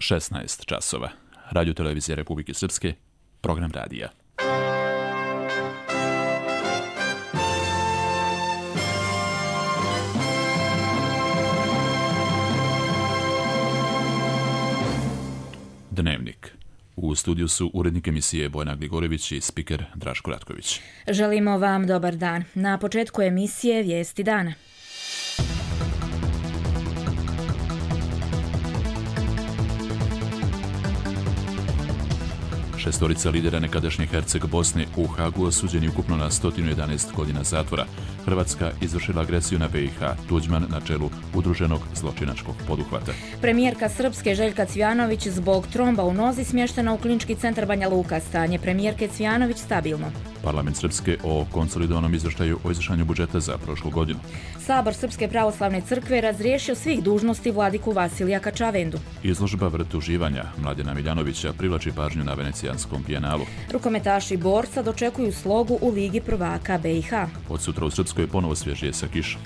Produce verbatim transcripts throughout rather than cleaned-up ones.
šesnaest časova. Radio Televizija Republike Srpske, program radija. Dnevnik. U studiju su urednik emisije Bojana Gligorević i spiker Draško Ratković. Želimo vam dobar dan. Na početku emisije Vijesti dana. Šestorica lidera nekadašnje Herceg Bosne u Hagu osuđeni ukupno na sto jedanaest godina zatvora. Hrvatska izvršila agresiju na B i H. Tuđman na čelu udruženog zločinačkog poduhvata. Premijerka Srpske Željka Cvijanović zbog tromba u nozi smještena u klinički centar Banja Luka. Stanje premijerke Cvijanović stabilno. Parlament Srpske o konsolidovanom izvještaju o izvršenju budžeta za prošlu godinu. Sabor Srpske pravoslavne crkve razriješio svih dužnosti vladiku Vasilija Kačavendu. Izložba Vrt uživanja Mladena Miljanovića privlači pažnju na Venecijanskom bijenalu. Rukometaši Borca dočekuju slogu u Ligi prvaka B i H. Od sutra u Srpskoj ponovo svježije sa kišom.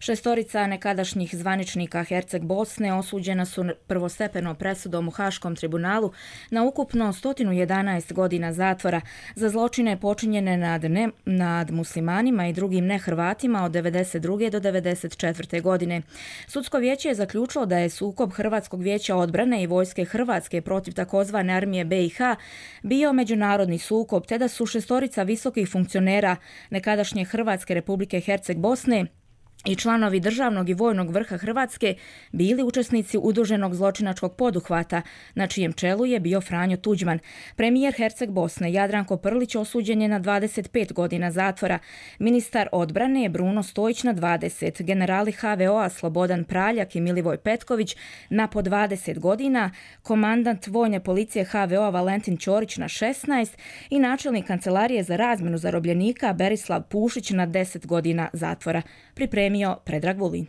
Šestorica nekadašnjih zvaničnika Herceg Bosne osuđena su prvostepeno presudom u Haškom tribunalu na ukupno sto jedanaest godina zatvora za zločine počinjene nad, ne, nad muslimanima i drugim nehrvatima od devedeset druge do devedeset četvrte godine. Sudsko vijeće je zaključilo da je sukob Hrvatskog vijeća odbrane i vojske Hrvatske protiv takozvane armije B i H bio međunarodni sukob, te da su šestorica visokih funkcionera nekadašnje Hrvatske Republike Herceg Bosne i članovi državnog i vojnog vrha Hrvatske bili učesnici udruženog zločinačkog poduhvata, na čijem čelu je bio Franjo Tuđman. Premijer Herceg Bosne Jadranko Prlić osuđen je na dvadeset pet godina zatvora, ministar odbrane je Bruno Stojić na dvadeset, generali H V O-a Slobodan Praljak i Milivoj Petković na po dvadeset godina, komandant vojne policije H V O-a Valentin Ćorić na šesnaest i načelnik kancelarije za razmjenu zarobljenika Berislav Pušić na deset godina zatvora. Pripremio Predrag Vulin.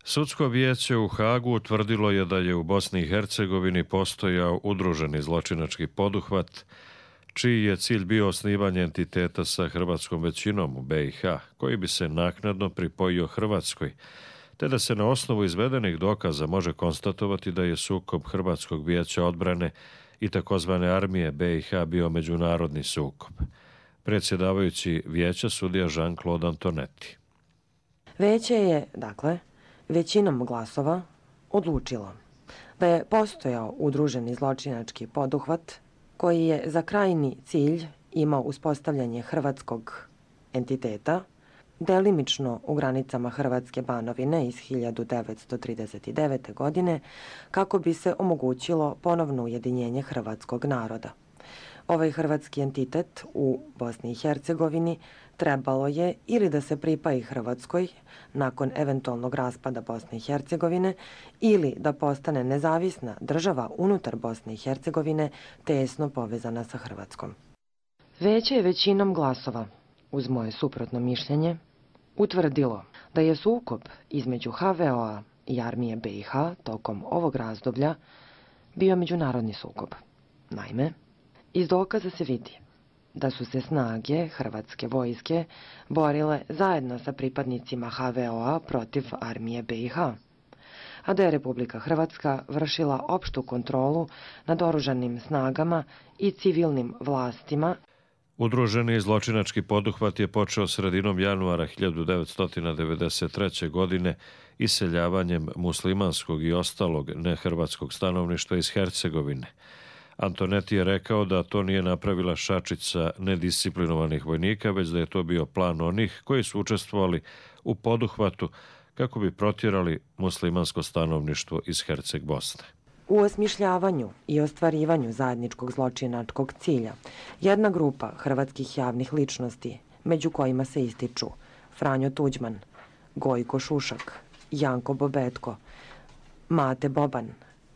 Sudsko vijeće u Hagu utvrdilo je da je u Bosni i Hercegovini postojao udruženi zločinački poduhvat, čiji je cilj bio osnivanje entiteta sa hrvatskom većinom u B i H, koji bi se naknadno pripojio Hrvatskoj, te da se na osnovu izvedenih dokaza može konstatovati da je sukob Hrvatskog vijeća odbrane i takozvane armije B i H bio međunarodni sukob. Predsjedavajući vijeća sudija Jean-Claude Antonetti. Vijeće je, dakle, većinom glasova odlučilo da je postojao udruženi zločinački poduhvat koji je za krajnji cilj imao uspostavljanje hrvatskog entiteta, delimično u granicama Hrvatske Banovine iz hiljadu devetsto trideset devete. godine, kako bi se omogućilo ponovno ujedinjenje hrvatskog naroda. Ovaj hrvatski entitet u Bosni i Hercegovini trebalo je ili da se pripaji Hrvatskoj nakon eventualnog raspada Bosne i Hercegovine ili da postane nezavisna država unutar Bosne i Hercegovine tesno povezana sa Hrvatskom. Vijeće je većinom glasova, uz moje suprotno mišljenje, utvrdilo da je sukob između H V O-a i armije B i H tokom ovog razdoblja bio međunarodni sukob. Naime, iz dokaza se vidi da su se snage hrvatske vojske borile zajedno sa pripadnicima H V O-a protiv armije B i H, a da je Republika Hrvatska vršila opštu kontrolu nad oružanim snagama i civilnim vlastima. Udruženi zločinački poduhvat je počeo sredinom januara hiljadu devetsto devedeset treće. godine iseljavanjem muslimanskog i ostalog nehrvatskog stanovništva iz Hercegovine. Antonetti je rekao da to nije napravila šačica nedisciplinovanih vojnika, već da je to bio plan onih koji su učestvovali u poduhvatu kako bi protjerali muslimansko stanovništvo iz Herceg Bosne. U osmišljavanju i ostvarivanju zajedničkog zločinačkog cilja jedna grupa hrvatskih javnih ličnosti, među kojima se ističu Franjo Tuđman, Gojko Šušak, Janko Bobetko, Mate Boban,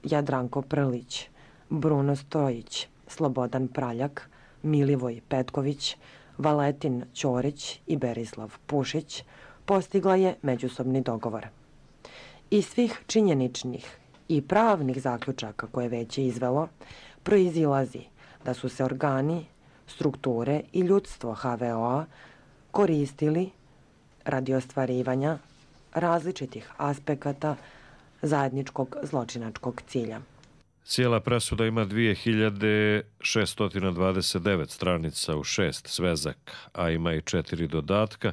Jadranko Prlić, Bruno Stojić, Slobodan Praljak, Milivoj Petković, Valentin Ćorić i Berislav Pušić postigla je međusobni dogovor. Iz svih činjeničnih i pravnih zaključaka koje već je izvelo, proizilazi da su se organi strukture i ljudstvo ha ve o-a koristili radi ostvarivanja različitih aspekata zajedničkog zločinačkog cilja. Cijela presuda ima dvije hiljade šesto dvadeset devet stranica u šest svezaka, a ima i četiri dodatka,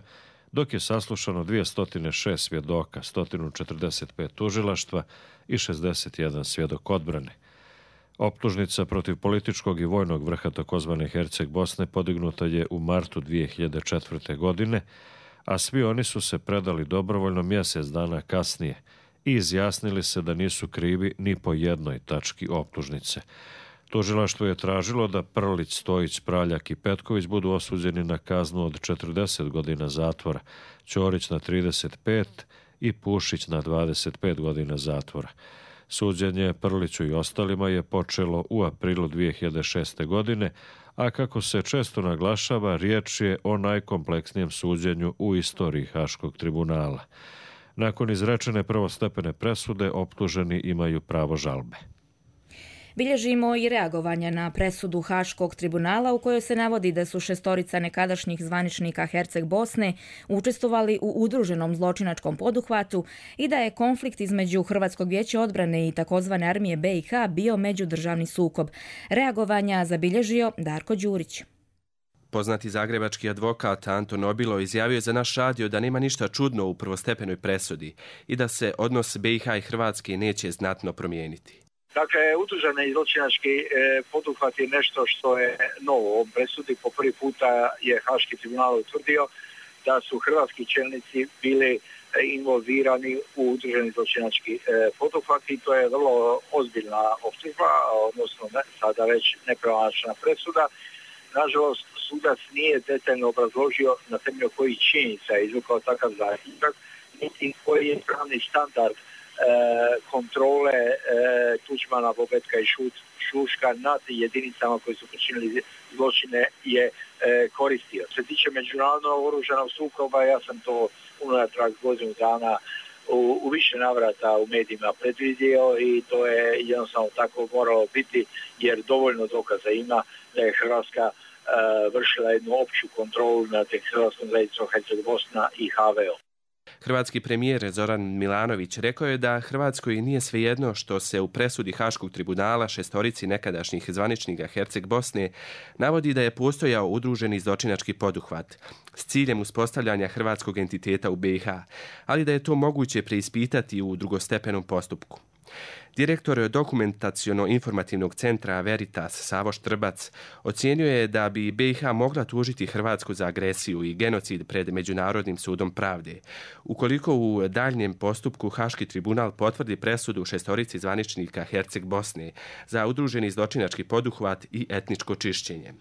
dok je saslušano dvjesto šest svjedoka, sto četrdeset pet tužilaštva i šezdeset jedan svjedok odbrane. Optužnica protiv političkog i vojnog vrha takozvane Herceg Bosne podignuta je u martu dvije hiljade četvrte. godine, a svi oni su se predali dobrovoljno mjesec dana kasnije i izjasnili se da nisu krivi ni po jednoj tački optužnice. Tužilaštvo je tražilo da Prlić, Stojić, Praljak i Petković budu osuđeni na kaznu od četrdeset godina zatvora, Ćorić na trideset pet i Pušić na dvadeset pet godina zatvora. Suđenje Prliću i ostalima je počelo u aprilu dvije hiljade šeste. godine, a kako se često naglašava, riječ je o najkompleksnijem suđenju u istoriji Haškog tribunala. Nakon izrečene prvostepene presude, optuženi imaju pravo žalbe. Bilježimo i reagovanja na presudu Haškog tribunala u kojoj se navodi da su šestorica nekadašnjih zvaničnika Herceg Bosne učestvovali u udruženom zločinačkom poduhvatu i da je konflikt između Hrvatskog vijeća odbrane i takozvane armije be i ha bio međudržavni sukob. Reagovanja zabilježio Darko Đurić. Poznati zagrebački advokat Anton Obilo izjavio je za naš radio da nema ništa čudno u prvostepenoj presudi i da se odnos be i ha i Hrvatske neće znatno promijeniti. Dakle, udruženi zločinački e, poduhvat je nešto što je novo u ovom presudi. Po prvi puta je Haški tribunal utvrdio da su hrvatski čelnici bili involvirani u udruženi zločinački e, poduhvat i to je vrlo ozbiljna optužba, odnosno ne, sada već nepravomoćna presuda. Nažalost, sudac nije detaljno obrazložio na temelju kojih činjenica je izvukao takav zaključak, niti koji je pravni standard kontrole e, Tuđmana, Bobetka i Šut, Šuška nad jedinicama koji su počinili zločine je e, koristio. Što se tiče međunarodnog oružanog sukoba, ja sam to unatrag godinu dana u, u više navrata u medijima predvidio i to je jednostavno tako moralo biti jer dovoljno dokaza ima da je Hrvatska e, vršila jednu opću kontrolu nad Hrvatskom zajednicom Herceg Bosna i ha ve o. Hrvatski premijer Zoran Milanović rekao je da Hrvatskoj nije svejedno što se u presudi Haškog tribunala šestorici nekadašnjih zvaničnika Herceg Bosne navodi da je postojao udruženi zločinački poduhvat s ciljem uspostavljanja hrvatskog entiteta u be i ha, ali da je to moguće preispitati u drugostepenom postupku. Direktor dokumentaciono-informativnog centra Veritas Savo Štrbac ocijenio je da bi be i ha mogla tužiti Hrvatsku za agresiju i genocid pred Međunarodnim sudom pravde, ukoliko u daljnjem postupku Haški tribunal potvrdi presudu šestorici zvaničnika Herceg Bosne za udruženi zločinački poduhvat i etničko čišćenje.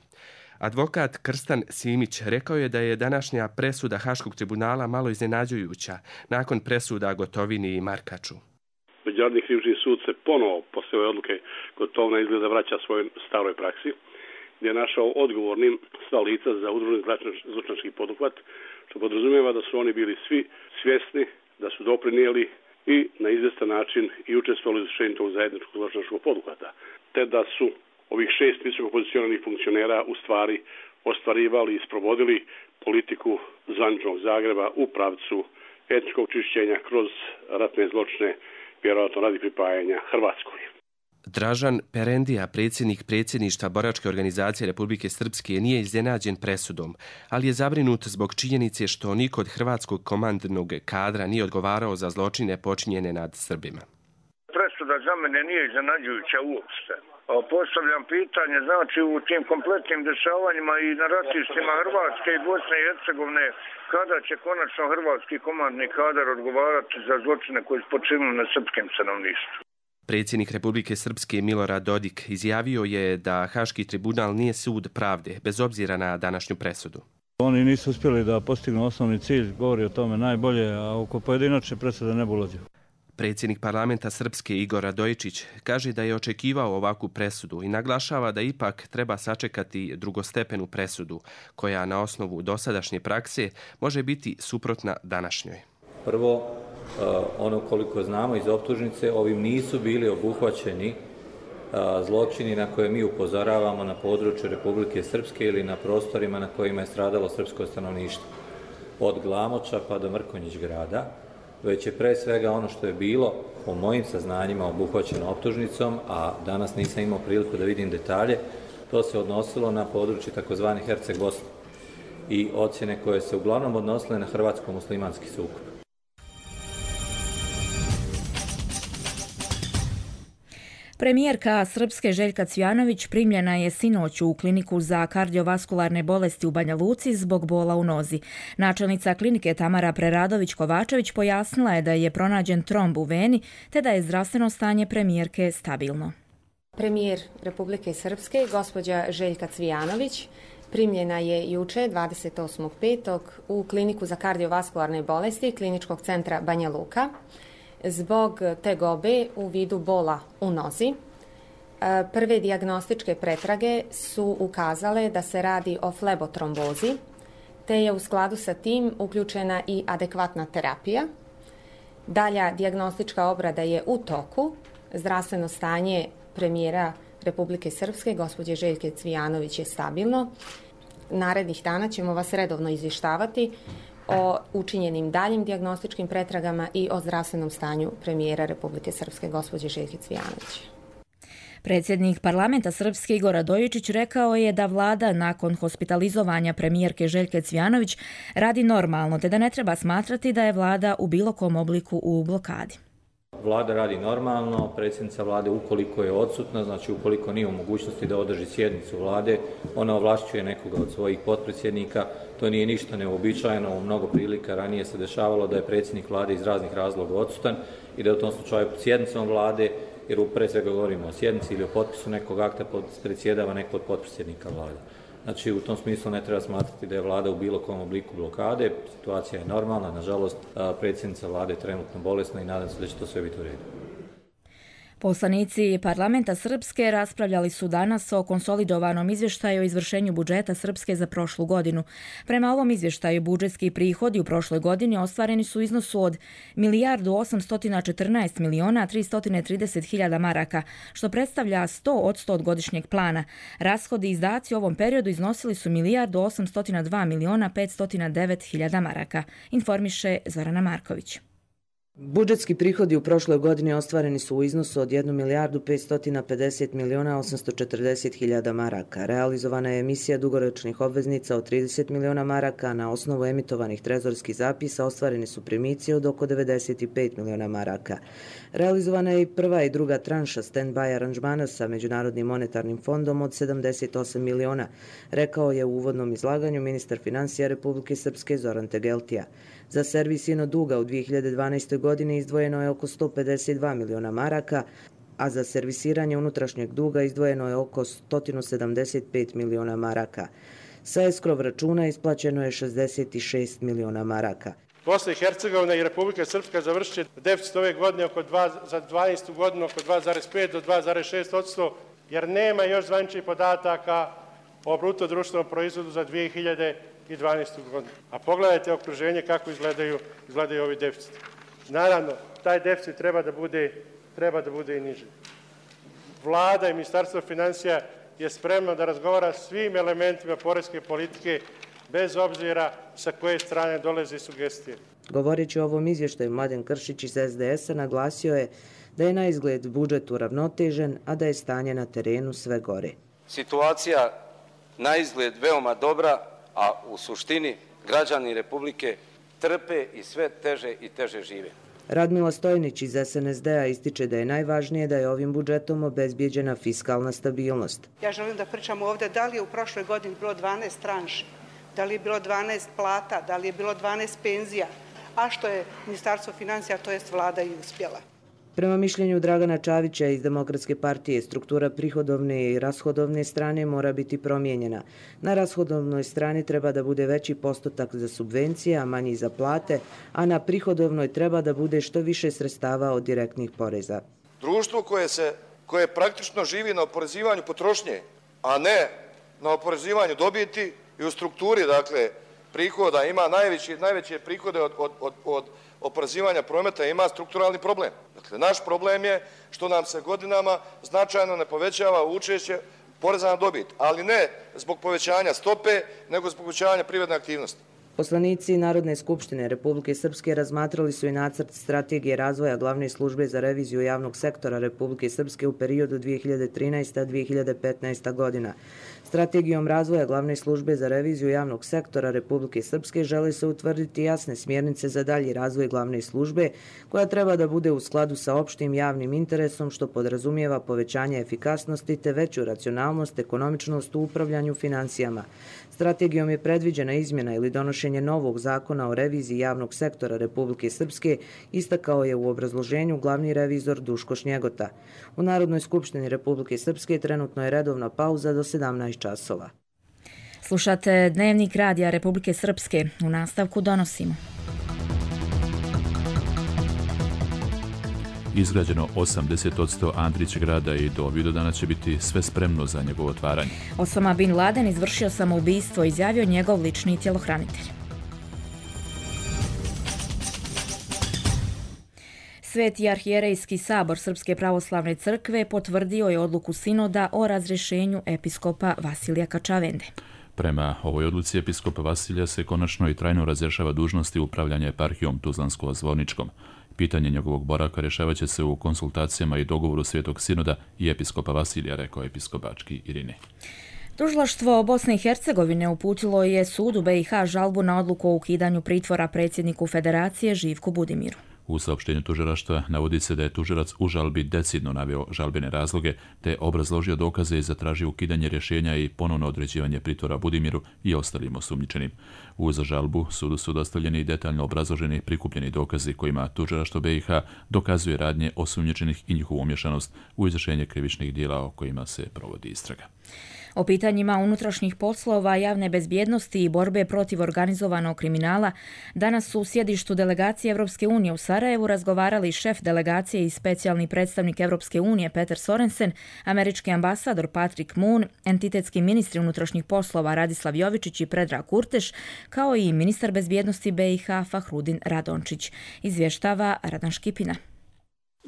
Advokat Krstan Simić rekao je da je današnja presuda Haškog tribunala malo iznenađujuća nakon presuda Gotovini i Markaču. Međunarodni krivični sud se ponovo posle ove odluke Gotovina izgleda vraća svojoj staroj praksi, gdje je našao odgovornim sva lica za udruženi zločinački poduhvat, što podrazumijeva da su oni bili svi svjesni da su doprinijeli i na izvjestan način i učestvovali u izvršenju tog zajedničkog zločinačkog poduhvata, te da su ovih šest visoko pozicioniranih funkcionera u stvari ostvarivali i sprovodili politiku zvaničnog Zagreba u pravcu etničkog čišćenja kroz ratne zločine, vjerojatno radi pripajanja Hrvatskoj. Dražan Perendija, predsjednik predsjedništva Boračke organizacije Republike Srpske, nije iznenađen presudom, ali je zabrinut zbog činjenice što niko od hrvatskog komandnog kadra nije odgovarao za zločine počinjene nad Srbima. Presuda za mene nije iznenađujuća uopšte. Postavljam pitanje, znači u tim kompletnim dešavanjima i na ratištima Hrvatske i Bosne i Hercegovine, kada će konačno hrvatski komandni kadar odgovarati za zločine koji su počinili na srpskim stanovništvu? Predsjednik Republike Srpske Milorad Dodik izjavio je da Haški tribunal nije sud pravde, bez obzira na današnju presudu. Oni nisu uspjeli da postignu osnovni cilj, govori o tome najbolje, a oko pojedinačne presude ne bi ulazio. Predsjednik parlamenta Srpske Igor Radojičić kaže da je očekivao ovakvu presudu i naglašava da ipak treba sačekati drugostepenu presudu, koja na osnovu dosadašnje prakse može biti suprotna današnjoj. Prvo, ono koliko znamo iz optužnice, ovim nisu bili obuhvaćeni zločini na koje mi upozoravamo na području Republike Srpske ili na prostorima na kojima je stradalo srpsko stanovništvo. Od Glamoča pa do Mrkonjić grada, već je pre svega ono što je bilo po mojim saznanjima obuhvaćeno optužnicom, a danas nisam imao priliku da vidim detalje, to se odnosilo na područje takozvani Herceg Bosne i ocjene koje se uglavnom odnosile na hrvatsko-muslimanski sukob. Premijerka Srpske Željka Cvijanović primljena je sinoć u kliniku za kardiovaskularne bolesti u Banja Luci zbog bola u nozi. Načelnica klinike Tamara Preradović-Kovačević pojasnila je da je pronađen tromb u veni te da je zdravstveno stanje premijerke stabilno. Premijer Republike Srpske, gospođa Željka Cvijanović, primljena je juče dvadeset osmog petog u kliniku za kardiovaskularne bolesti Kliničkog centra Banja Luka zbog tegobe u vidu bola u nozi. Prve dijagnostičke pretrage su ukazale da se radi o flebotrombozi, te je u skladu sa tim uključena i adekvatna terapija. Dalja dijagnostička obrada je u toku. Zdravstveno stanje premijera Republike Srpske, gospođe Željke Cvijanović, je stabilno. Narednih dana ćemo vas redovno izvještavati o učinjenim daljim dijagnostičkim pretragama i o zdravstvenom stanju premijera Republike Srpske, gospođe Željke Cvijanović. Predsjednik parlamenta Srpske Igor Radojičić rekao je da vlada nakon hospitalizovanja premijerke Željke Cvijanović radi normalno, te da ne treba smatrati da je vlada u bilo kom obliku u blokadi. Vlada radi normalno, predsjednica vlade ukoliko je odsutna, znači ukoliko nije u mogućnosti da održi sjednicu vlade, ona ovlašćuje nekoga od svojih potpredsjednika. To nije ništa neuobičajeno, u mnogo prilika ranije se dešavalo da je predsjednik vlade iz raznih razloga odsutan i da u tom slučaju sjednicom vlade, jer pre svega govorimo o sjednici ili o potpisu nekog akta, predsjedava neko od potpredsjednika vlade. Znači, u tom smislu ne treba smatrati da je vlada u bilo kom obliku blokade. Situacija je normalna, nažalost, predsjednica vlade je trenutno bolesna i nadam se da će to sve biti u redu. Poslanici parlamenta Srpske raspravljali su danas o konsolidovanom izvještaju o izvršenju budžeta Srpske za prošlu godinu. Prema ovom izvještaju budžetski prihodi u prošloj godini ostvareni su u iznosu od milijardu osamsto četrnaest miliona tristo trideset hiljada maraka, što predstavlja sto odsto od godišnjeg plana. Rashodi i izdaci u ovom periodu iznosili su milijardu osamsto dva miliona petsto devet hiljada maraka, informiše Zorana Marković. Budžetski prihodi u prošloj godini ostvareni su u iznosu od jednu milijardu petsto pedeset miliona osamsto četrdeset hiljada maraka. Realizovana je emisija dugoročnih obveznica od trideset miliona maraka, a na osnovu emitovanih trezorskih zapisa ostvareni su primici od oko devedeset pet miliona maraka. Realizovana je i prva i druga tranša stand-by aranžmana sa Međunarodnim monetarnim fondom od sedamdeset osam miliona, rekao je u uvodnom izlaganju ministar finansija Republike Srpske Zoran Tegeltija. Za servis ino duga u dvije hiljade dvanaestoj godini izdvojeno je oko sto pedeset dva miliona maraka, a za servisiranje unutrašnjeg duga izdvojeno je oko sto sedamdeset pet miliona maraka. Sa eskrov računa isplaćeno je šezdeset šest miliona maraka. Bosna i Hercegovina i Republika Srpska završit će deficit ove godine oko dva, za dvanaestu godinu oko dva zarez pet do dva zarez šest odsto, jer nema još zvaničnih podataka o bruto društvenom proizvodu za dvije hiljade dvanaestu godinu. A pogledajte okruženje kako izgledaju, izgledaju ovi deficiti. Naravno, taj deficit treba da bude, treba da bude i niži. Vlada i Ministarstvo finansija je spremno da razgovara svim elementima poreske politike, bez obzira sa koje strane dolaze sugestije. Govoreći o ovom izvještaju, Mladen Kršić iz es de es a naglasio je da je na izgled budžet uravnotežen, a da je stanje na terenu sve gore. Situacija na izgled veoma dobra, a u suštini građani Republike trpe i sve teže i teže žive. Radmila Stojnić iz es en es de a ističe da je najvažnije da je ovim budžetom obezbijeđena fiskalna stabilnost. Ja želim da pričam ovdje da li je u prošloj godini bilo dvanaest tranši, da li je bilo dvanaest plata, da li je bilo dvanaest penzija, a što je Ministarstvo finansija, to jest vlada, i uspjela. Prema mišljenju Dragana Čavića iz Demokratske partije, struktura prihodovne i rashodovne strane mora biti promijenjena. Na rashodovnoj strani treba da bude veći postotak za subvencije, a manji za plate, a na prihodovnoj treba da bude što više sredstava od direktnih poreza. Društvo koje, se, koje praktično živi na oporezivanju potrošnje, a ne na oporezivanju dobiti i u strukturi, dakle, prihoda, ima najveće, najveće prihode od, od, od, od oporezivanja prometa, ima strukturalni problem. Dakle, naš problem je što nam se godinama značajno ne povećava učešće poreza na dobit, ali ne zbog povećanja stope, nego zbog povećanja privredne aktivnosti. Poslanici Narodne skupštine Republike Srpske razmatrali su i nacrt strategije razvoja glavne službe za reviziju javnog sektora Republike Srpske u periodu dvije hiljade trinaesta do dvije hiljade petnaesta godina. Strategijom razvoja glavne službe za reviziju javnog sektora Republike Srpske žele se utvrditi jasne smjernice za dalji razvoj glavne službe, koja treba da bude u skladu sa opštim javnim interesom, što podrazumijeva povećanje efikasnosti te veću racionalnost, ekonomičnost u upravljanju financijama. Strategijom je predviđena izmjena ili donošenje novog zakona o reviziji javnog sektora Republike Srpske, istakao je u obrazloženju glavni revizor Duško Šnjegota. U Narodnoj skupštini Republike Srpske trenutno je redovna pauza do sedamnaest časova. Slušate Dnevnik radija Republike Srpske. U nastavku donosimo. Izgrađeno osamdeset posto Andrić grada i do Vidovdana će biti sve spremno za njegovo otvaranje. Osama Bin Laden izvršio samoubistvo, izjavio njegov lični tjelohranitelj. Sveti arhijerejski sabor Srpske pravoslavne crkve potvrdio je odluku sinoda o razrješenju episkopa Vasilija Kačavende. Prema ovoj odluci episkopa Vasilija se konačno i trajno razrješava dužnosti upravljanja eparhijom Tuzlansko-Zvorničkom. Pitanje njegovog boravka rješavat će se u konsultacijama i dogovoru Svetog sinoda i episkopa Vasilija, rekao episkop Bački Irine. Tužilaštvo Bosne i Hercegovine uputilo je sudu be i ha žalbu na odluku o ukidanju pritvora predsjedniku Federacije Živku Budimiru. U saopštenju tužilaštva navodi se da je tužilac u žalbi decidno naveo žalbene razloge te obrazložio dokaze i zatražio ukidanje rješenja i ponovno određivanje pritvora Budimiru i ostalim osumnjičenim. Uz žalbu sudu su dostavljeni detaljno obrazloženi prikupljeni dokazi kojima tužilaštvo be i ha dokazuje radnje osumnjičenih i njihovu umješanost u izvršenje krivičnih djela o kojima se provodi istraga. O pitanjima unutrašnjih poslova, javne bezbjednosti i borbe protiv organizovanog kriminala danas su u sjedištu delegacije Evropske unije u Sarajevu razgovarali šef delegacije i specijalni predstavnik Evropske unije Peter Sorensen, američki ambasador Patrick Moon, entitetski ministri unutrašnjih poslova Radislav Jovičić i Predrag Kurteš, kao i ministar bezbjednosti be i ha Fahrudin Radončić. Izvještava Radan Škipina.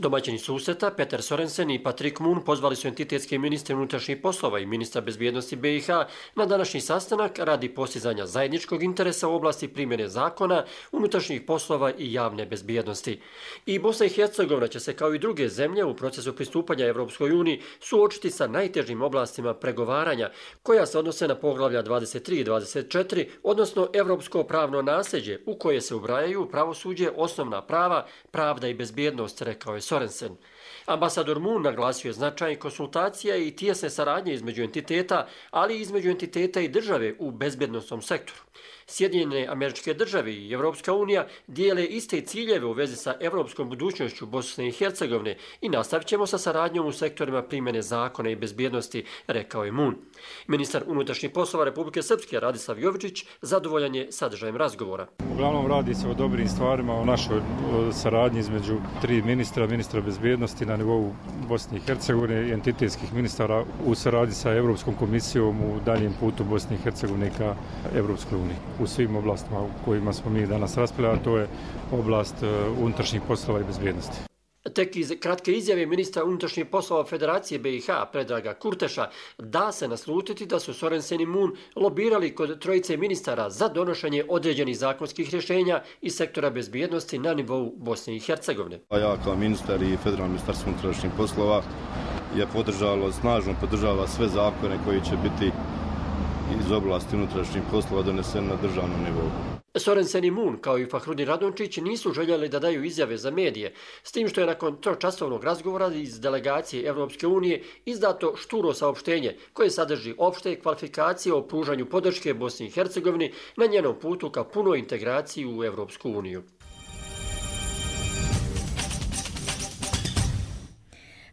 Domaćini susreta Peter Sorensen i Patrick Moon pozvali su entitetske ministre unutrašnjih poslova i ministra bezbjednosti be i ha na današnji sastanak radi postizanja zajedničkog interesa u oblasti primjene zakona, unutrašnjih poslova i javne bezbjednosti. I Bosna i Hercegovina će se kao i druge zemlje u procesu pristupanja Evropskoj uniji suočiti sa najtežim oblastima pregovaranja koja se odnose na poglavlja dvadeset tri i dvadeset četiri, odnosno evropsko pravno nasljeđe u koje se ubrajaju pravosuđe, osnovna prava, pravda i bezbjednost, rekao je Sorensen. Ambasador Moon naglasio je značaj konsultacija i tijesne saradnje između entiteta, ali i između entiteta i države u bezbjednosnom sektoru. Sjedinjene Američke države i Evropska unija dijele iste ciljeve u vezi sa evropskom budućnošću Bosne i Hercegovine i nastavit ćemo sa saradnjom u sektorima primjene zakona i bezbjednosti, rekao je Moon. Ministar unutrašnjih poslova Republike Srpske Radislav Jovičić zadovoljan je sadržajem razgovora. Uglavnom radi se o dobrim stvarima, o našoj saradnji između tri ministra, ministra bezbjednosti na nivou Bosne i Hercegovine i entitetskih ministara u saradnji sa Evropskom komisijom u daljem putu Bosne i Hercegovine ka Evropskoj uniji. U svim oblastima u kojima smo mi danas raspravljali, a to je oblast unutrašnjih poslova i bezbjednosti. Tek iz kratke izjave ministra unutrašnjih poslova Federacije be i ha Predraga Kurteša da se naslutiti da su Sorensen i Moon lobirali kod trojice ministara za donošenje određenih zakonskih rješenja iz sektora bezbjednosti na nivou Bosne i Hercegovine. Ja kao ministar i Federalno ministarstvo unutrašnjih poslova je podržalo, snažno podržava sve zakone koji će biti iz oblasti unutrašnjih poslova donesen na državnom nivou. Sorensen i Moon, kao i Fahrudin Radončić, nisu željeli da daju izjave za medije, s tim što je nakon tročasovnog razgovora iz delegacije Evropske unije izdato šturo saopštenje koje sadrži opšte kvalifikacije o pružanju podrške Bosni i Hercegovini na njenom putu ka punoj integraciji u Evropsku uniju.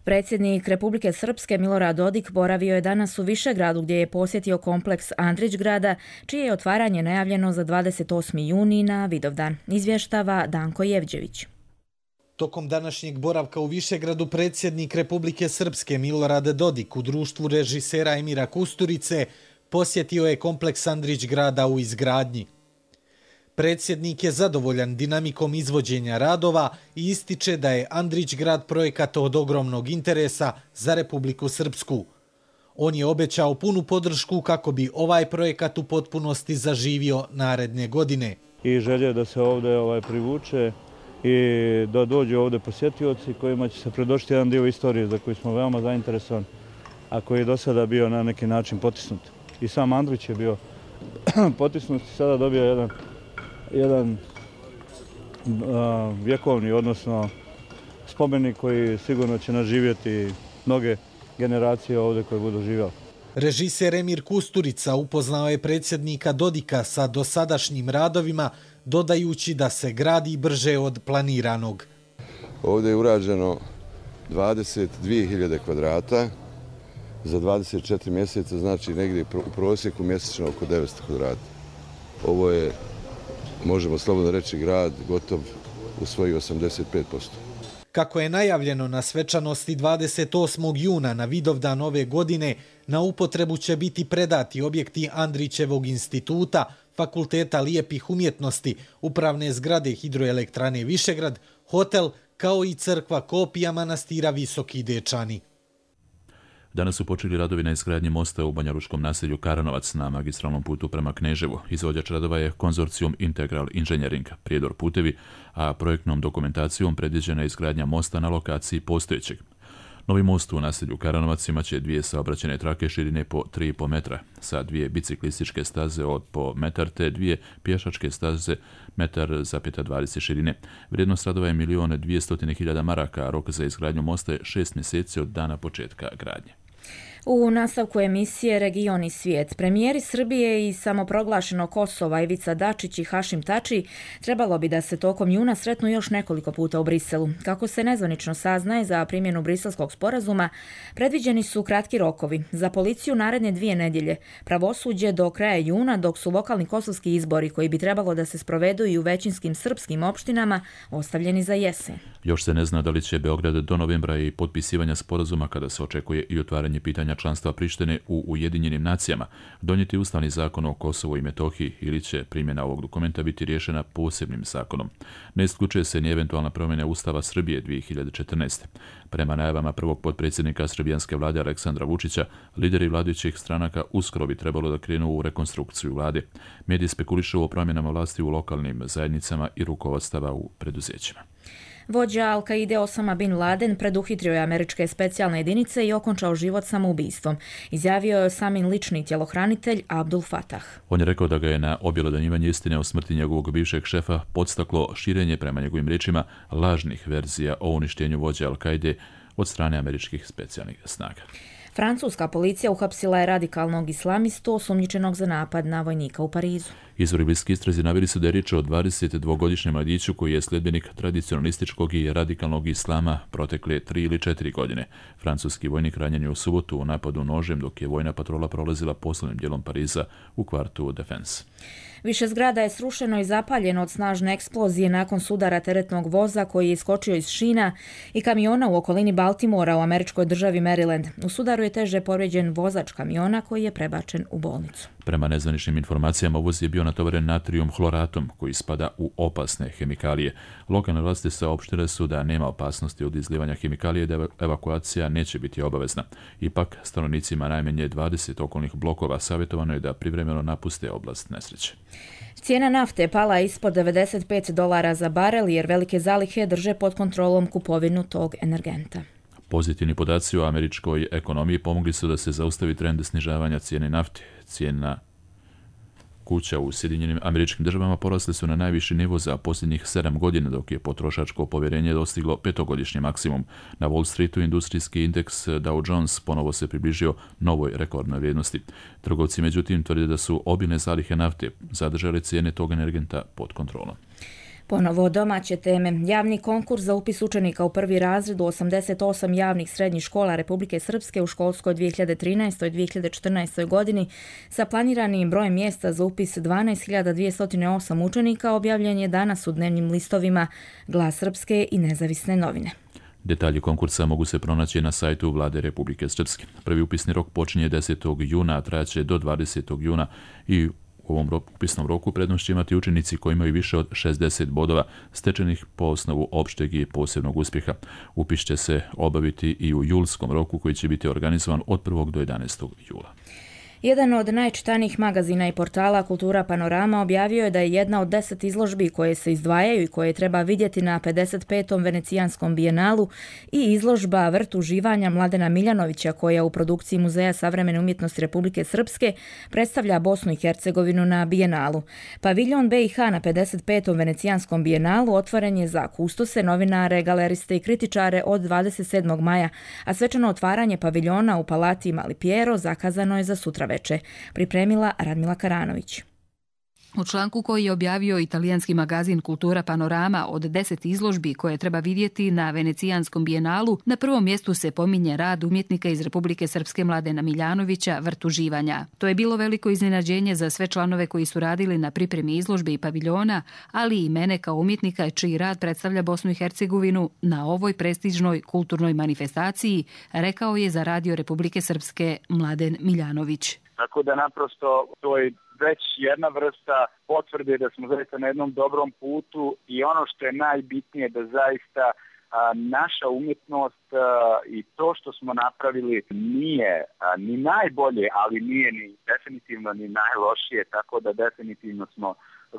Predsjednik Republike Srpske Milorad Dodik boravio je danas u Višegradu gdje je posjetio kompleks Andrić grada, čije je otvaranje najavljeno za dvadeset osmi juni na Vidovdan. Izvještava Danko Jevđević. Tokom današnjeg boravka u Višegradu predsjednik Republike Srpske Milorad Dodik u društvu režisera Emira Kusturice posjetio je kompleks Andrić grada u izgradnji. Predsjednik je zadovoljan dinamikom izvođenja radova i ističe da je Andrić grad projekat od ogromnog interesa za Republiku Srpsku. On je obećao punu podršku kako bi ovaj projekat u potpunosti zaživio naredne godine. I želje da se ovdje ovaj, privuče i da dođu ovdje posjetioci kojima će se predošti jedan dio istorije za koji smo veoma zainteresovani, a koji je do sada bio na neki način potisnut. I sam Andrić je bio potisnut i sada dobio jedan, jedan a, vjekovni, odnosno spomenik koji sigurno će naživjeti mnoge generacije ovdje koje budu živjeli. Režiser Emir Kusturica upoznao je predsjednika Dodika sa dosadašnjim radovima, dodajući da se gradi brže od planiranog. Ovdje je urađeno dvadeset dvije hiljade kvadrata za dvadeset četiri mjeseca, znači negdje u prosjeku mjesečno oko devetsto kvadrata. Ovo je, možemo slobodno reći, grad gotov u svojih osamdeset pet posto. Kako je najavljeno na svečanosti dvadeset osmog juna na Vidovdan ove godine, na upotrebu će biti predati objekti Andrićevog instituta, Fakulteta lijepih umjetnosti, upravne zgrade Hidroelektrane Višegrad, hotel, kao i crkva kopija manastira Visoki Dečani. Danas su počeli radovi na izgradnji mosta u banjalučkom naselju Karanovac na magistralnom putu prema Kneževu. Izvođač radova je konzorcijum Integral Engineering, Prijedor putevi, a projektnom dokumentacijom predviđena je izgradnja mosta na lokaciji postojećeg. Novi most u naselju Karanovac imaće dvije saobraćajne trake širine po tri i po metra, sa dvije biciklističke staze od po metar te dvije pješačke staze metar zapeta dvadeset širine. Vrijednost radova je milijon dvjesto hiljada maraka, a rok za izgradnju mosta je šest mjeseci od dana početka gradnje. U nastavku emisije Region i svijet, premijeri Srbije i samoproglašenog Kosova Ivica Dačić i Hašim Tači trebalo bi da se tokom juna sretnu još nekoliko puta u Briselu. Kako se nezvanično saznaje, za primjenu briselskog sporazuma predviđeni su kratki rokovi. Za policiju naredne dvije nedjelje, pravosuđe do kraja juna, dok su lokalni kosovski izbori koji bi trebalo da se sprovedu i u većinskim srpskim opštinama ostavljeni za jesen. Još se ne zna da li će Beograd do novembra i potpisivanja sporazuma, kada se očekuje i otvaranje pitanja članstva Prištine u Ujedinjenim nacijama, donijeti ustavni zakon o Kosovu i Metohiji ili će primjena ovog dokumenta biti riješena posebnim zakonom. Ne isključuje se ni eventualna promjena Ustava Srbije dvije hiljade četrnaeste. Prema najavama prvog potpredsjednika srbijanske vlade Aleksandra Vučića, lideri vladajućih stranaka uskoro bi trebalo da krenu u rekonstrukciju vlade. Mediji spekulišu o promjenama vlasti u lokalnim zajednicama i rukovodstava u preduzećima. Vođa Al-Kaide Osama bin Laden preduhitrio je američke specijalne jedinice i okončao život samoubistvom. Izjavio je Osamin lični tjelohranitelj Abdul Fatah. On je rekao da ga je na objelodanjivanje istine o smrti njegovog bivšeg šefa podstaklo širenje, prema njegovim riječima, lažnih verzija o uništenju vođe Al-Kaide od strane američkih specijalnih snaga. Francuska policija uhapsila je radikalnog islamistu osumnjičenog za napad na vojnika u Parizu. Izvori bliski istrazi naveli su da je riječ o dvadesetdvogodišnjem mladiću koji je sljedbenik tradicionalističkog i radikalnog islama protekle tri ili četiri godine. Francuski vojnik ranjen je u subotu u napadu nožem dok je vojna patrola prolazila poslovnim dijelom Pariza u kvartu Defense. Više zgrada je srušeno i zapaljeno od snažne eksplozije nakon sudara teretnog voza koji je iskočio iz šina i kamiona u okolini Baltimora u američkoj državi Maryland. U sudaru je teže povrijeđen vozač kamiona koji je prebačen u bolnicu. Prema nezvaničnim informacijama, voz je bio natovaren natrijum hloratom koji spada u opasne hemikalije. Lokalne vlasti saopštile su da nema opasnosti od izlivanja hemikalije i da evakuacija neće biti obavezna. Ipak, stanovnicima najmanje dvadeset okolnih blokova savjetovano je da privremeno napuste oblast nesreće. Cijena nafte pala ispod devedeset pet dolara za barel jer velike zalihe drže pod kontrolom kupovinu tog energenta. Pozitivni podaci o američkoj ekonomiji pomogli su da se zaustavi trend snižavanja cijene nafte. Cijena kuća u Sjedinjenim Američkim Državama porasle su na najviši nivo za posljednjih sedam godina, dok je potrošačko povjerenje dostiglo petogodišnji maksimum. Na Wall Streetu industrijski indeks Dow Jones ponovo se približio novoj rekordnoj vrijednosti. Trgovci međutim tvrde da su obilne zalihe nafte zadržale cijene tog energenta pod kontrolom. Ponovo domaće teme. Javni konkurs za upis učenika u prvi razred u osamdeset osam javnih srednjih škola Republike Srpske u školskoj dvije hiljade trinaestoj dvije hiljade četrnaestoj godini sa planiranim brojem mjesta za upis dvanaest hiljada dvjesto osam učenika objavljen je danas u dnevnim listovima Glas Srpske i Nezavisne novine. Detalji konkursa mogu se pronaći na sajtu Vlade Republike Srpske. Prvi upisni rok počinje desetog juna, a trajaće do dvadesetog juna i U ovom upisnom roku prednost će imati učenici koji imaju više od šezdeset bodova stečenih po osnovu opšteg i posebnog uspjeha. Upis će se obaviti i u julskom roku koji će biti organizovan od prvog do jedanaestog jula. Jedan od najčitanijih magazina i portala Kultura Panorama objavio je da je jedna od deset izložbi koje se izdvajaju i koje treba vidjeti na pedeset petom Venecijanskom bijenalu i izložba Vrt uživanja Mladena Miljanovića koja u produkciji Muzeja savremene umjetnosti Republike Srpske predstavlja Bosnu i Hercegovinu na bijenalu. Paviljon B i H na pedeset petom Venecijanskom bijenalu otvoren je za kustose, novinare, galeriste i kritičare od dvadeset sedmog maja, a svečano otvaranje paviljona u Palati Mali Piero zakazano je za sutra veče, pripremila Radmila Karanović. U članku koji je objavio italijanski magazin Kultura Panorama od deset izložbi koje treba vidjeti na Venecijanskom bijenalu, na prvom mjestu se pominje rad umjetnika iz Republike Srpske Mladena Miljanovića, Vrt uživanja. To je bilo veliko iznenađenje za sve članove koji su radili na pripremi izložbe i paviljona, ali i mene kao umjetnika čiji rad predstavlja Bosnu i Hercegovinu na ovoj prestižnoj kulturnoj manifestaciji, rekao je za Radio Republike Srpske Mladen Miljanović. Tako da naprosto to je već jedna vrsta potvrde da smo zaista na jednom dobrom putu i ono što je najbitnije da zaista a, naša umjetnost a, i to što smo napravili nije a, ni najbolje, ali nije ni definitivno ni najlošije, tako da definitivno smo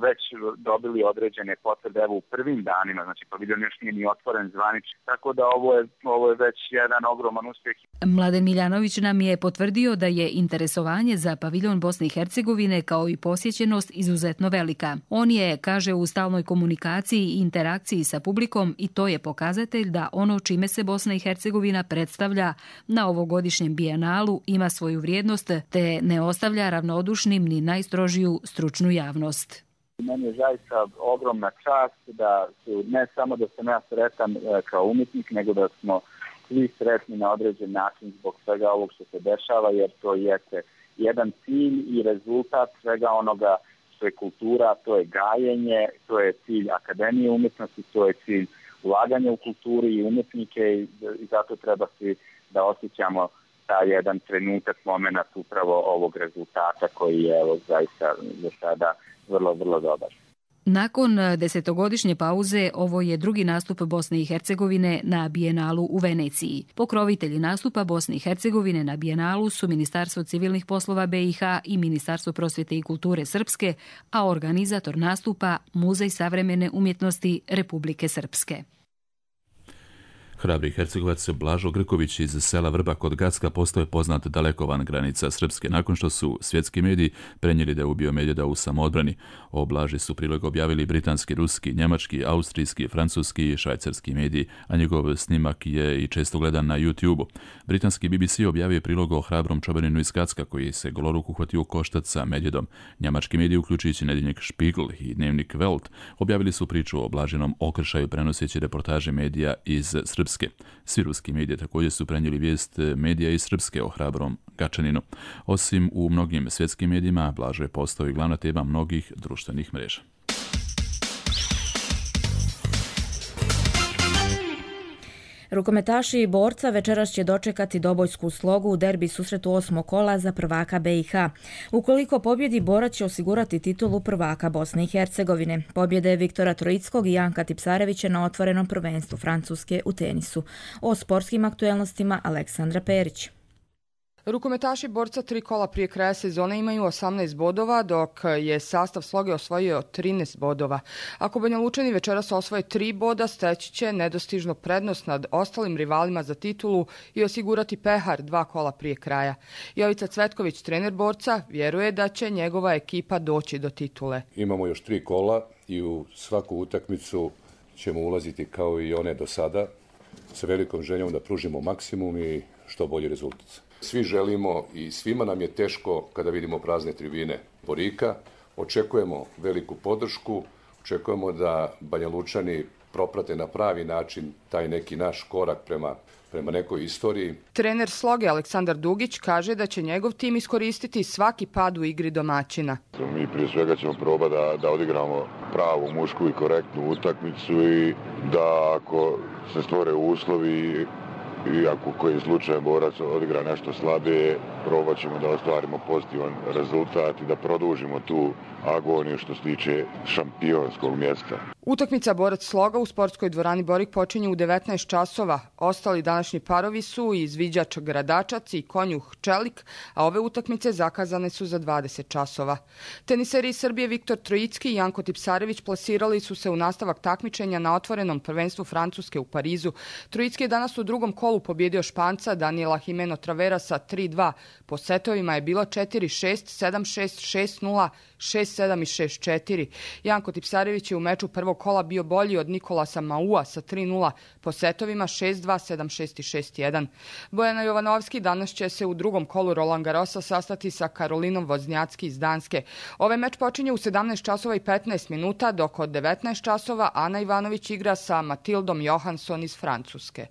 već dobili određene potvrde evo u prvim danima, znači paviljon još nije ni otvoren zvanično, tako da ovo je, ovo je već jedan ogroman uspjeh. Mladen Miljanović nam je potvrdio da je interesovanje za paviljon Bosne i Hercegovine kao i posjećenost izuzetno velika. On je, kaže, u stalnoj komunikaciji i interakciji sa publikom i to je pokazatelj da ono čime se Bosna i Hercegovina predstavlja na ovogodišnjem bijenalu ima svoju vrijednost te ne ostavlja ravnodušnim ni najstrožiju stručnu javnost. Meni je zaista ogromna čast da su, ne samo da sam ja sretan kao umjetnik, nego da smo svi sretni na određen način zbog svega ovog što se dešava, jer to je jedan cilj i rezultat svega onoga što je kultura, to je gajenje, to je cilj Akademije umjetnosti, to je cilj ulaganja u kulturi i umjetnike i zato treba svi da osjećamo taj jedan trenutak, moment upravo ovog rezultata koji je evo, zaista za sada vrlo, vrlo dobar. Nakon desetogodišnje pauze, ovo je drugi nastup Bosne i Hercegovine na bijenalu u Veneciji. Pokrovitelji nastupa Bosne i Hercegovine na bijenalu su Ministarstvo civilnih poslova B i H i Ministarstvo prosvjete i kulture Srpske, a organizator nastupa Muzej savremene umjetnosti Republike Srpske. Hrabri Hercegovac Blažo Grković iz sela Vrba kod Gacka postao je poznat daleko van granica Srpske nakon što su svjetski mediji prenijeli da je ubio medvjeda u samoodbrani. O Blaži su prilog objavili britanski, ruski, njemački, austrijski, francuski i švajcarski mediji, a njegov snimak je i često gledan na YouTube-u. Britanski B B C objavio prilog o hrabrom čobaninu iz Gacka koji se goloruk uhvatio u koštac sa medvjedom. Njemački mediji, uključujući nedjeljnik Spiegel i dnevnik Welt, objavili su priču o Blažinom okršaju prenoseći reportaže medija iz Srpske. Svi ruski mediji također su prenijeli vijest medija iz Srpske o hrabrom Gačaninu. Osim u mnogim svjetskim medijima, Blažo je postao i glavna tema mnogih društvenih mreža. Rukometaši i borca večeras će dočekati dobojsku slogu u derbi susretu osmog kola za prvaka B i H. Ukoliko pobjedi, borac će osigurati titulu prvaka Bosne i Hercegovine. Pobjede Viktora Trojickog i Janka Tipsarevića na otvorenom prvenstvu Francuske u tenisu. O sportskim aktuelnostima Aleksandra Perić. Rukometaši borca tri kola prije kraja sezone imaju osamnaest bodova, dok je sastav sloge osvojio trinaest bodova. Ako Banja Lučani večeras osvoje tri boda, steći će nedostižnu prednost nad ostalim rivalima za titulu i osigurati pehar dva kola prije kraja. Jovica Cvetković, trener borca, vjeruje da će njegova ekipa doći do titule. Imamo još tri kola i u svaku utakmicu ćemo ulaziti kao i one do sada, sa velikom željom da pružimo maksimum i što bolji rezultat. Svi želimo i svima nam je teško kada vidimo prazne tribine Borika. Očekujemo veliku podršku, očekujemo da Banja Lučani proprate na pravi način taj neki naš korak prema, prema nekoj istoriji. Trener sloge Aleksandar Dugić kaže da će njegov tim iskoristiti svaki pad u igri domaćina. Mi prije svega ćemo probati da, da odigramo pravu, mušku i korektnu utakmicu i da ako se stvore uslovi i ako koji slučaj borac odigra nešto slabije, probat ćemo da ostvarimo pozitivan rezultat i da produžimo tu agoniju što se tiče šampionskog mjesta. Utakmica Borac Sloga u sportskoj dvorani Borik počinje u devetnaest časova. Ostali današnji parovi su izviđač Gradačac i Konjuh Čelik, a ove utakmice zakazane su za dvadeset časova. Teniseri iz Srbije Viktor Trojicki i Janko Tipsarević plasirali su se u nastavak takmičenja na otvorenom prvenstvu Francuske u Parizu. Trojicki je danas u drugom kolu pobjedio Španca Daniela Jimeno Travera sa tri dva. Po setovima je bilo četiri šest, sedam šest, šest nula, šest sedam i šest četiri. Janko Tipsarević je u meču prvog kola bio bolji od Nikolasa Maua sa tri nula, po setovima šest dva, sedam šest i šest jedan. Bojana Jovanovski danas će se u drugom kolu Roland Garrosa sastati sa Karolinom Voznjacki iz Danske. Ovaj meč počinje u sedamnaest časova i petnaest minuta, dok od devetnaest časova Ana Ivanović igra sa Matildom Johansson iz Francuske.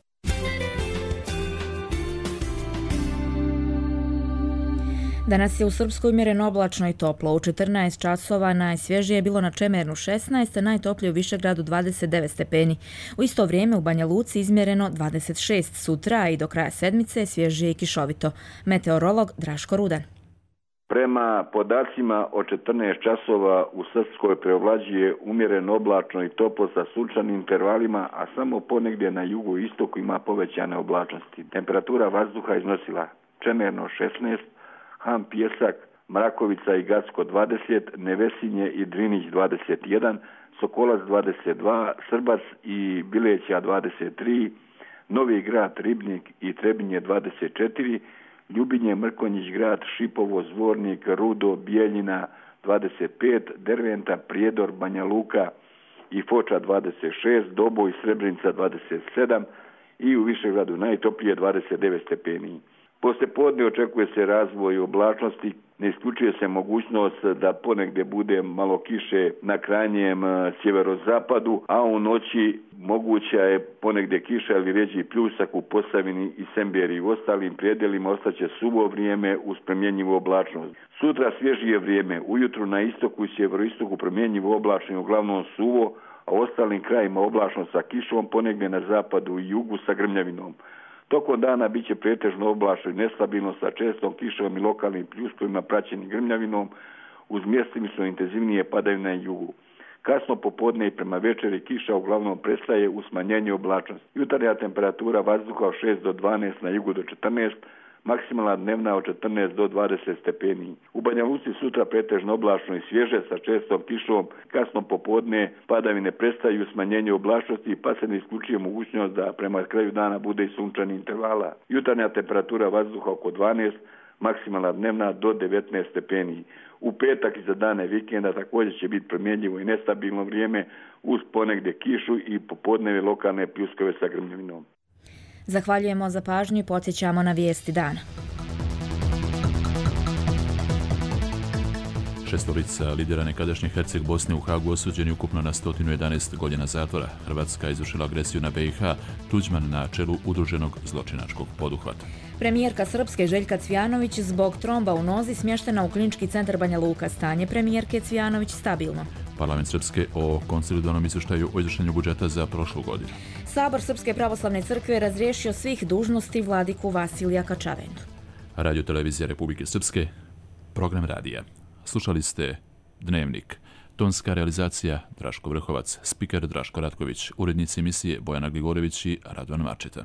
Danas je u Srpskoj umjereno oblačno i toplo. U četrnaest časova najsvježije je bilo na Čemernu šesnaest, a najtoplije u Višegradu dvadeset devet stepeni. U isto vrijeme u Banja Luci izmjereno dvadeset šest, sutra i do kraja sedmice svježije i kišovito. Meteorolog Draško Rudan. Prema podacima od četrnaest časova u Srpskoj preovlađuje umjereno oblačno i toplo sa sunčanim intervalima, a samo ponegdje na jugu i istoku ima povećane oblačnosti. Temperatura vazduha iznosila Čemerno šesnaest, Han Pjesak, Mrakovica i Gacko dvadeset, Nevesinje i Drinić dvadeset jedan, Sokolac dvadeset dva, Srbac i Bileća dvadeset tri, Novi Grad, Ribnik i Trebinje dvadeset četiri, Ljubinje, Mrkonjić Grad, Šipovo, Zvornik, Rudo, Bijeljina dvadeset pet, Derventa, Prijedor, Banja Luka i Foča dvadeset šest, Doboj, Srebrenica dvadeset sedam i u Višegradu najtoplije dvadeset devet stepeni. Poslije podne očekuje se razvoj oblačnosti, ne isključuje se mogućnost da ponegdje bude malo kiše na krajnjem sjeverozapadu, a u noći moguća je ponegdje kiša ili rjeđi pljusak u Posavini i Semberi i u ostalim prijedelima ostaće suvo vrijeme uz promjenjivu oblačnost. Sutra svježije vrijeme, ujutru na istoku i sjeveroistoku promjenjivo oblačno i uglavnom suvo, a u ostalim krajima oblačno sa kišom, ponegdje na zapadu i jugu sa grmljavinom. Tokom dana bit će pretežno oblačno i nestabilno sa čestom kišom i lokalnim pljuskovima praćenim grmljavinom uz mjestimično intenzivnije padavine na jugu. Kasno popodne i prema večeri kiša uglavnom prestaje u smanjenju oblačnosti. Jutarnja temperatura vazduha od šest do dvanaest, na jugu do četrnaest, maksimalna dnevna od četrnaest do dvadeset stepeni. U Banja Luci sutra pretežno oblačno i svježe sa čestom kišom, kasno popodne padavine prestaju u smanjenju oblačnosti pa se ne isključuje mogućnost da prema kraju dana bude i sunčani intervala. Jutarnja temperatura vazduha oko dvanaest, maksimalna dnevna do devetnaest stepeni. U petak i za dane vikenda također će biti promjenjivo i nestabilno vrijeme uz ponegdje kišu i popodneve lokalne pljuskove sa grmljavinom. Zahvaljujemo za pažnju i podsjećamo na vijesti dana. Šestorica lidera nekadašnje Herceg Bosne u Hagu osuđeni ukupno na sto jedanaest godina zatvora. Hrvatska izvršila agresiju na B i H, Tuđman na čelu udruženog zločinačkog poduhvata. Premijerka Srpske Željka Cvijanović zbog tromba u nozi smještena u klinički centar Banja Luka. Stanje premijerke Cvijanović stabilno. Parlament Srpske o konsolidovanom izvještaju o izvršenju budžeta za prošlu godinu. Sabor Srpske pravoslavne crkve razriješio svih dužnosti vladiku Vasilija Kačavendu. Radio televizija Republike Srpske, program radija. Slušali ste Dnevnik. Tonska realizacija Draško Vrhovac, spiker Draško Ratković, urednici emisije Bojana Gligorević i Radovan Marčeta.